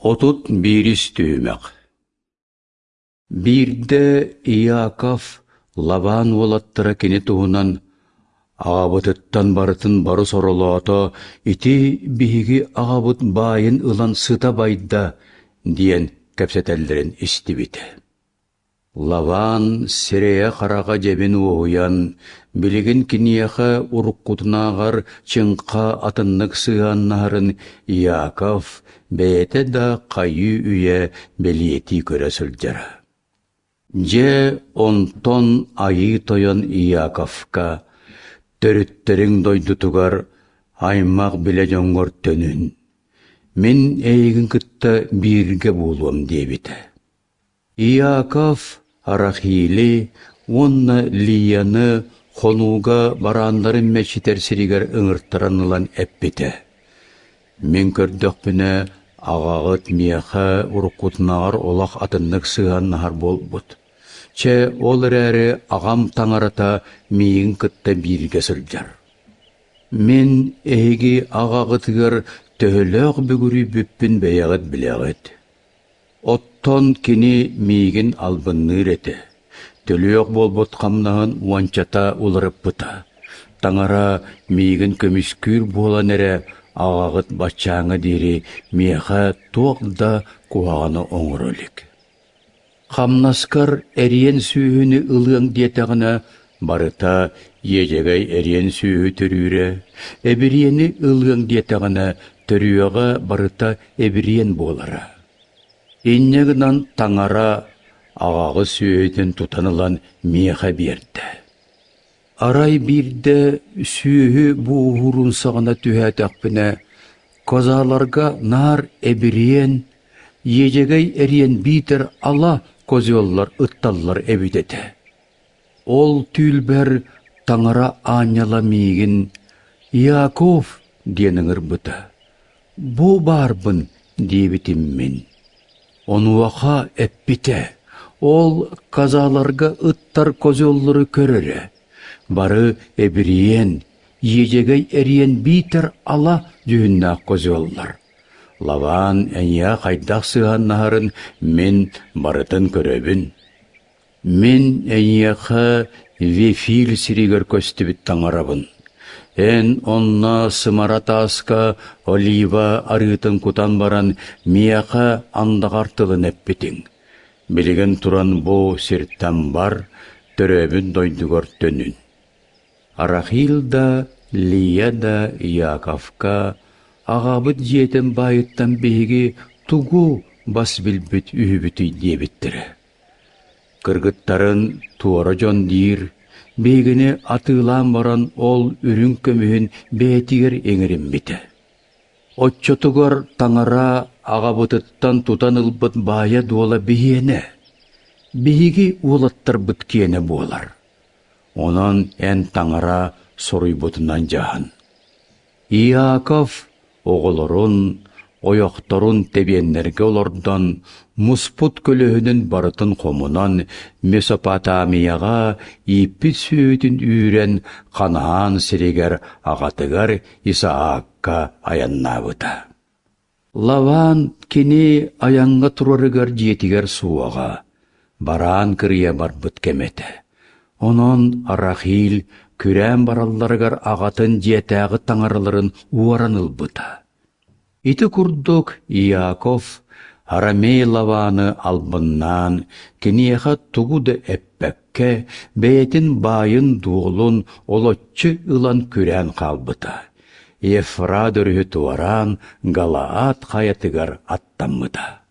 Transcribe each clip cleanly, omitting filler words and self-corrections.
31 түһүмэх Биирдэ Иаков Лаван уолаттара кини туһунан «Аҕабытыттан барытын бары соролоото, ити биһиги аҕабыт баайын ылан сыта байда» диэн кэпсэтэллэрин истибитэ. Лаван сирэйэ-хараҕа дьэбин уоһуйан, билигин киниэхэ уруккутунааҕар чыҥха атыннык сыһыаннаһарын Иаков бэйэтэ да хайыы-үйэ бэлиэтии көрө сылдьара. Дьэ, онтон Айыы Тойон Иаковка «Төрүттэриҥ дойдутугар аймах-билэ дьоҥҥор төнүн, мин эйигин кытта бииргэ буолуом» диэбитэ. Иаков Рахили уонна Лияны хонууга барааннарын мэччитэр сиригэр ыҥыртаран ылан эппитэ: «Мин көрдөхпүнэ, аҕаҕыт миэхэ уруккутунааҕар олох атыннык сыһыаннаһар буолбут. Чэ, ол эрээри аҕам таҥарата миигин кытта бииргэ сылдьар. Мин эһиги аҕаҕытыгар төһөлөөх бүгүрүйбүппүн бэйэҕит билэҕит. Оттон кини миигин албынныыр этэ, төлүөх буолбут хамнаһын уончата уларыппыта. Таҥара миигин көмүскүүр буолан эрэ аҕаҕыт баччааҥҥа диэри миэхэ туох да куһаҕаны оҥоро илик. Хамнаскар эриэн сүөһүнү ылыаҥ диэтэҕинэ, барыта иэдьэгэй эриэн сүөһү төрүүрэ, эбириэни ылыаҥ диэтэҕинэ, төрүөҕэ барыта эбириэн буолара. Инньэ гынан таҥара аҕаҕы сүөһүтүн тутан ылан миэхэ биэрдэ. Арай биирдэ сүөһү буоһуурун саҕана түһээтэхпинэ, козаларга наар эбириэн, иэдьэгэй эриэн биитэр ала козеллар ытталлар эбит этэ. Ол түүлбэр таҥара аанньала миигин «Иаков» диэн ыҥырбыта. «Бу баарбын» диэбитим мин. Онуоха эппитэ: «Ол козаларга ыттар козеллары көр эрэ, бары эбириэн, иэдьэгэй эриэн биитэр ала дьүһүннээх козеллар. Лаван эйиэхэ хайдах сыһыаннаһарын мин барытын көрөбүн. Мин эйиэхэ Вефиль сиригэр көстүбүт таҥарабын. Эн онно сымара тааска олива арыытын кутан баран миэхэ андаҕар тылын эппитиҥ. Билигин туран бу сиртэн бар, төрөөбүт дойдугар төнүн. Рахил да, Лия да Иаковка аҕабыт дьиэтин баайыттан биһиги тугу бас билбит үһүбүтүй диэбиттэрэ. Кыргыттарын туора дьон диир, биһигини атыылаан баран ол үрүҥ көмүһүн бэйэтигэр иҥэриммитэ. Оччотугар таҥара аҕабытыттан тутан ылбыт баайа-дуола биһиэнэ, биһиги уолаттарбыт киэнэ буолар. Онон эн таҥара соруйбутунан дьаһан. Иаков оҕолорун, ойохторун тэбиэннэргэ олордон, муспут көлөһүнүн барытын хомунан, Месопотамияҕа ииппит сүөһүтүн үүрэн, Ханаан сиригэр аҕатыгар Исаакка айаннаабыта. Лаван кини айаҥҥа турарыгар дьиэтигэр суоҕа, бараан кырыйа барбыт кэмэ этэ. Онон Рахиль күрээн баралларыгар аҕатын дьиэтээҕи таҥараларын уоран ылбыта. Ити курдук Иаков Арамей Лаваны албыннаан, киниэхэ тугу да эппэккэ, бэйэтин баайын-дуолун олоччу ылан күрээн хаалбыта. Ефрат өрүһү туораан Галаад хайатыгар аттаммыта.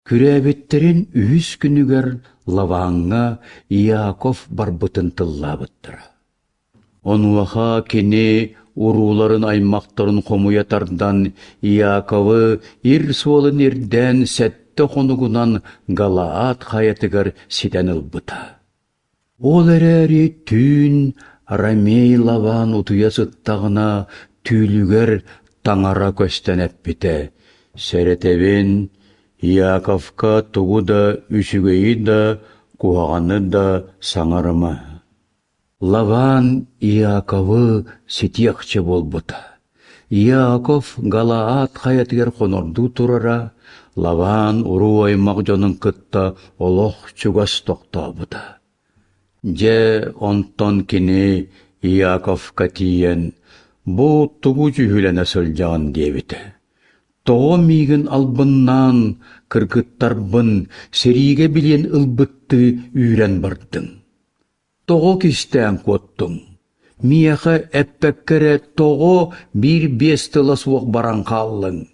Күрээбиттэрин үһүс күнүгэр Лаваҥҥа Иаков барбытын тыллаабыттара. Онуоха кини урууларын аймахтарын хомуйа тардан Иаковы ир суолун ирдээн сэттэ хонугунан Галаад хайатыгар ситэн ылбыта. Ол эрээри түүн Ромей Лаван утуйа сыттаҕына түүлүгэр таҥара көстөн эппитэ: «Сэрэтэбин, Иаковка тугу да үчүгэйи да, куһаҕаны да саҥарыма». Лаван Иаковы ситиэхчэ буолбута. Иаков Галаад хайатыгар хонордуу турара, Лаваан уруу-аймах дьонун кытта олох чугас тохтообута. Дьэ, онтон кини Иаковка тиийэн, «Бу тугу дьүһүлэнэ сылдьаҕын?» диэбитэ. «Тоҕо миигин албыннаан, кыргыттарбын сэриигэ билиэн ылбыттыы үүрэн бардыҥ? Тоҕо кистээн куоттуҥ? Миэхэ эппэккэ эрэ тоҕо биир-биэс тыла суох баран хааллыҥ?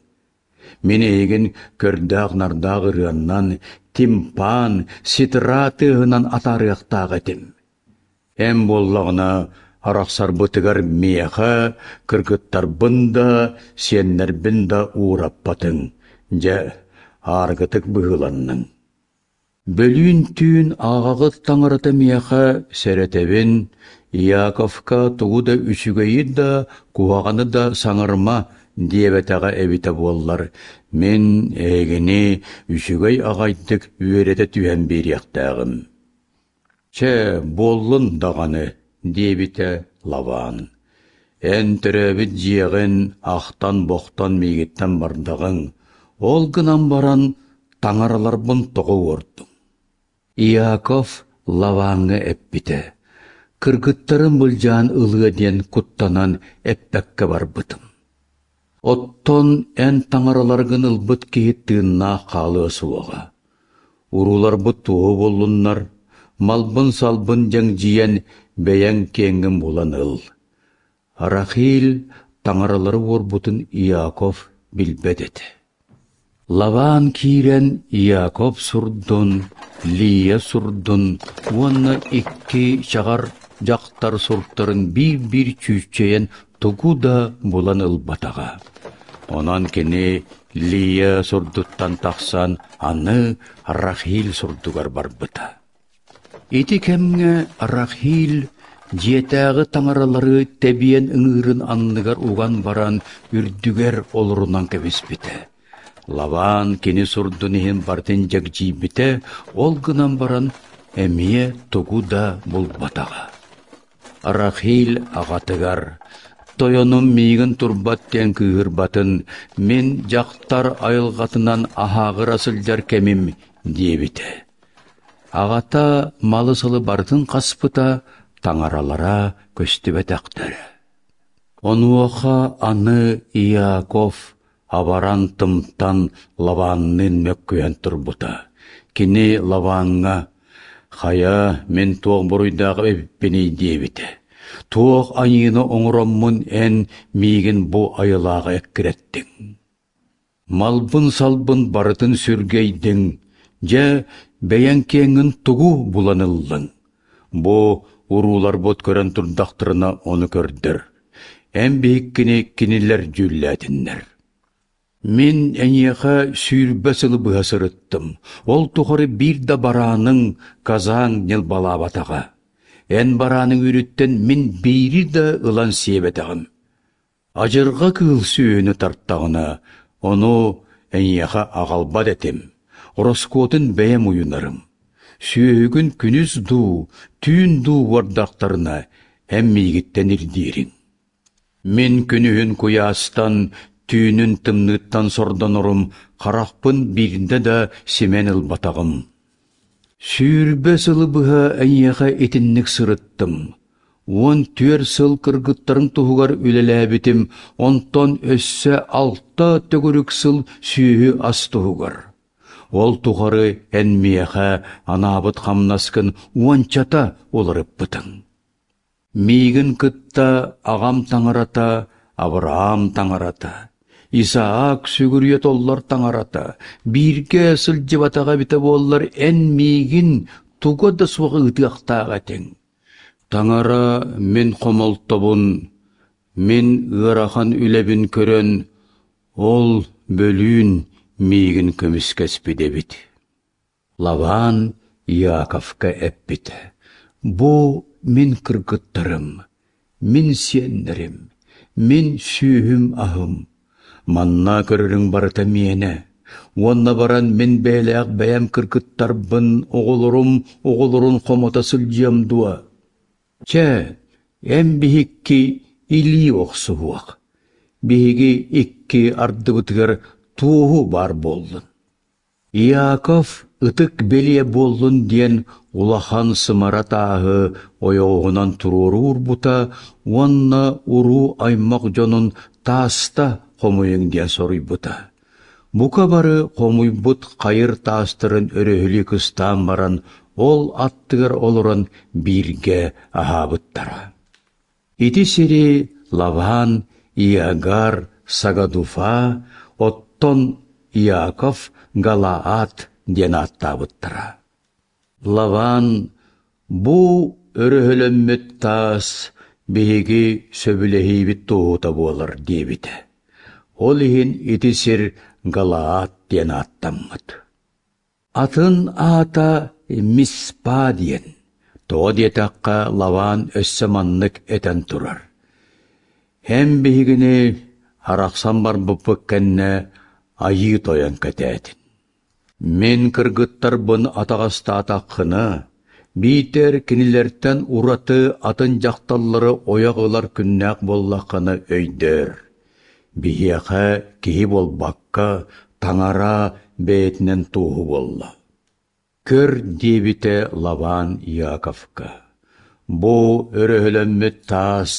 Мин эйигин көрдөөх-нардаах ырыаннан, тимпан, ситра тыаһынан атаарыахтаах этим. Эн буоллаҕына арахсарбытыгар миэхэ кыргыттарбын да, сиэннэрбин да уураппатыҥ, дьэ, ааргытык быһыыланныҥ. Бөлүүн түүн аҕаҕыт таҥарата миэхэ сэрэтэбин, Иаковка тугу да үчүгэйи да, куһаҕаны да саҥарыма диэбэтэҕэ эбитэ буоллар, мин эһигини үчүгэй аҕайдык үөрэтэ түһэн биэриэхтээҕим. Чэ, буоллун даҕаны, диэбитэ Лаван. Эн төрөөбүт дьиэҕин ахтан-бохтон миигиттэн бардаҕыҥ, ол гынан баран таҥараларбын тоҕо уордуҥ? Иаков Лаваҥҥа эппитэ: «Кыргыттарым былдьаан ылыа диэн куттанан эппэккэ барбытым. Оттон эн таҥараларгын ылбыт киһи тыыннаах хаалыа суоҕа. Урууларбыт туоһу буоллуннар, малбын-салбын дьэҥдьийэн бэйэҥ киэҥҥин булан ыл. Рахиль таҥаралары уорбутун Иаков билбэт этэ. Лаваан киирэн Иаков сурдун, Лия сурдун уонна икки чаҕар дьахтар суртарын биир-биир чүүччэйэн тугу да булан ылбатаҕа. Онон кини Лия сурдуттан тахсан аны Рахиль сурдугар барбыта. Ити кэмҥэ Рахиль дьиэтээҕи таҥаралары тэбиэн ыҥыырын анныгар уган баран үрдүгэр олорунан кэбиспитэ. Лаваан кини сурдун иһин барытын дьэгдьийбитэ, ол гынан баран эмиэ тугу да булбатаҕа. Рахиль аҕатыгар «Тойонум миигин турбат диэн кыыһырбатын, мин дьахтар айылҕатынан аһааҕыра сылдьар кэмим» диэбитэ. Аҕата малы-салы барытын хаспыта, таҥаралара көстүбэтэхтэрэ. Онуоха аны Иаков абаран-тымтан Лаванныын мөккүһэн турбута. Кини Лаваҥҥа «Хайа, мин туох буруйдаах эбиппиний?» диэбитэ. «Туох айыыны оҥороммун эн миигин бу айылааҕы эккирэттиҥ?» Малбын-салбын барытын сүргэйдиҥ, дьэ, бэйэҥ киэҥҥин тугу булан ыллыҥ? Бу урууларбыт көрөн турдахтарына ону көрдөр, эн биһиккини кинилэр дьүүллээтиннэр. Мин эйиэхэ 20 сылы быһа сырыттым, ол тухары биир да барааныҥ, казаҥ ньылбалаабатаҕа. Эн барааныҥ үүрүттэн мин биири да ылан сиэбэтэҕим. Адьырҕа кыыл сүөһүнү тартаҕына, ону эйиэхэ аҕалбат этим, ороскуотун бэйэм уйунарым. Сүөһүгүн күнүс дуу, түүн дуу уордахтарына, эн миигиттэн ирдиириҥ. Мин күнүһүн куйаастан, түүнүн тымныыттан сордонорум, харахпын биирдэ да симэн ылбатаҕым. 20 сылы быһа эйиэхэ итинник сырыттым. 14 сыл кыргыттарыҥ туһугар үлэлээбитим, онтон өссө алта төгүрүк сыл сүөһү ас туһугар. Ол тухары эн миэхэ анаабыт хамнаскын уончата уларыппытыҥ. Миигин кытта аҕам таҥарата, Авраам таҥарата, Исаак сүгүрүйэ толлор таҥарата, бииргэ сылдьыбатаҕа эбитэ буоллар эн миигин туга да суох ыытыахтаах этиҥ. Таҥара мин хомолтобун, мин ыарахан үлэбин көрөн, ол бөлүүн миигин көмүскэспит эбит. Лаваан Иаковка эппитэ: «Бу мин кыргыттарым, мин сиэннэрим, мин сүөһүм-аһым. Манна көрөрүҥ барыта миэнэ. Уонна баран мин бэйэлээх бэйэм кыргыттарбын, оҕолорум оҕолорун хомото сылдьыам дуо? Чэ, эн биһикки илии охсуһуох. биһиги икки ардыбытыгар туоһу баар буоллун. Иаков ытык бэлиэ буоллун диэн улахан сымара тааһы ойоҕоһунан туруору уурбута уонна уруу-аймах дьонун тааста хомуйуҥ диэн соруйбута. Бука бары хомуйбут хайыр таастарын өрөһүлүү кыстаан баран, ол аттыгар олорон бииргэ аһаабыттара. Ити сири Лаван, Иагар, Сагадуфа, оттон Иаков Галаад диэн ааттаабыттара. Лаван бу өрөһөлөммүт таас биһиги сөбүлэһиибит туоһута буолар диэбитэ. Ол иһин ити сир Галаад диэн ааттаммыт. Атын аата Миспа диэн. Тоҕо диэтэххэ Лаван өссө маннык этэн турар: «Эн биһигини арахсан барбыппыт кэннэ Айыы Тойон кэтээтин. Мин кыргыттарбын атаҕастаатаххына, биитэр кинилэртэн ураты атын дьахталлары ойох ылар күннээх буоллаххына өйдөөр. Биһиэхэ киһи буолбакка, таҥара бэйэтинэн туоһу буолла. Көр, диэбитэ Лаван Иаковка, бу өрөһөлөммүт таас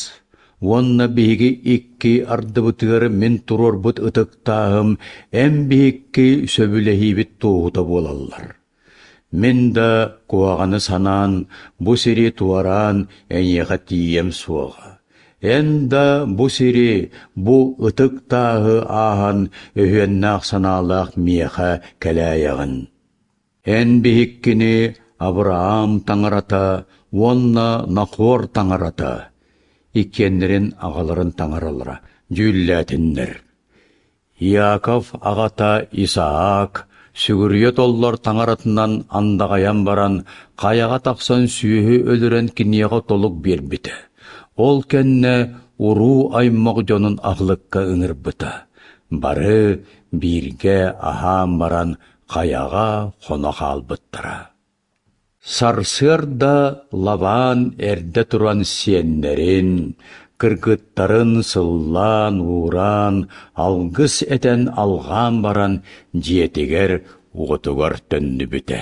уонна биһиги икки ардыбытыгар мин туруорбут ытык тааһым эн биһикки сөбүлэһиибит туоһута буолаллар. Мин да куһаҕаны санаан, бу сири туораан эйиэхэ тиийиэм суоҕа. Эн да бу сири, бу ытык тааһы ааһан өһүөннээх санаалаах миэхэ кэлээйэҕин. Эн биһиккини Авраам таҥарата уонна Нахор таҥарата иккиэннэрин аҕаларын таҥаралара дьүүллээтиннэр. Иаков аҕата Исаак сүгүрүйэ толлор таҥаратынан андаҕайан баран, хайаҕа тахсан сүөһү өлөрөн киниэхэ толук биэрбитэ. Ол кэннэ уруу-аймах дьонун аһылыкка ыҥырбыта. Бары бииргэ аһаан баран хайаҕа хоно хаалбыттара. Сарсыарда Лаван эрдэ туран сиэннэрин, кыргыттарын сыллаан-уураан, алгыс этэн алҕаан баран дьиэтигэр уотугар төннүбүтэ.